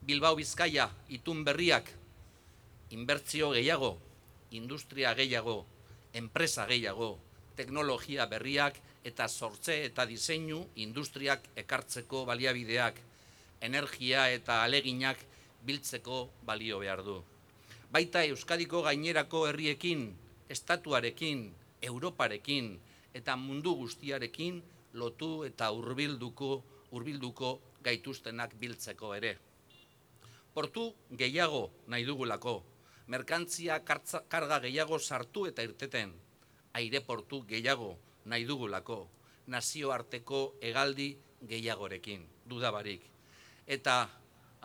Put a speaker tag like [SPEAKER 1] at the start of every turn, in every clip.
[SPEAKER 1] Bilbao Bizkaia itun berriak inbertsio gehiago, industria gehiago, enpresa gehiago, teknologia berriak eta sortze eta diseinu industriak ekartzeko baliabideak, energia eta aleginak biltzeko balio behar du. Baita Euskadiko gainerako herriekin, estatuarekin, Europarekin eta mundu guztiarekin lotu eta hurbilduko gaituztenak biltzeko ere. Portu gehiago nahi dugulako, merkantzia karga gehiago sartu eta irteten, aireportu gehiago nahi dugulako, nazioarteko hegaldi gehiagorekin, dudabarik. Eta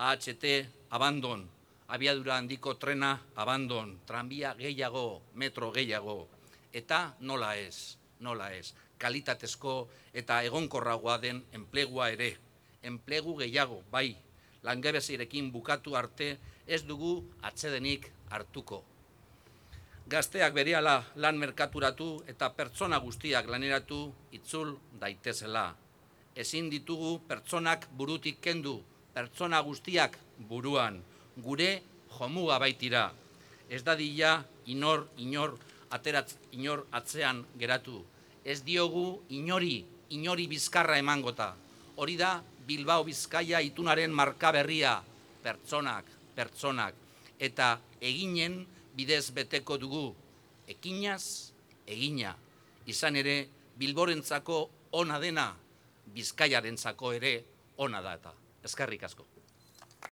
[SPEAKER 1] AHT abandon, abiadura handiko trena abandon, tranbia gehiago, metro gehiago, eta nola ez, kalitatezko eta egonkorragoa den enplegua ere, enplegu gehiago, bai, langabeziarekin bukatu arte ez dugu atsedenik hartuko. Gazteak berehala lan merkaturatu eta pertsona guztiak laneratu itzul daitezela. Ezin ditugu pertsonak burutik kendu, pertsona guztiak buruan, gure jomuga baitira. Ez dadila inor atzean geratu. Ez diogu inori bizkarra emangota. Hori da Bilbao Bizkaia itunaren marka berria, pertsonak, eta eginen bidez beteko dugu, ekinaz, egina. Izan ere, Bilborentzako ona dena, Bizkaiarentzako ere ona da eta. Eskerrik asko.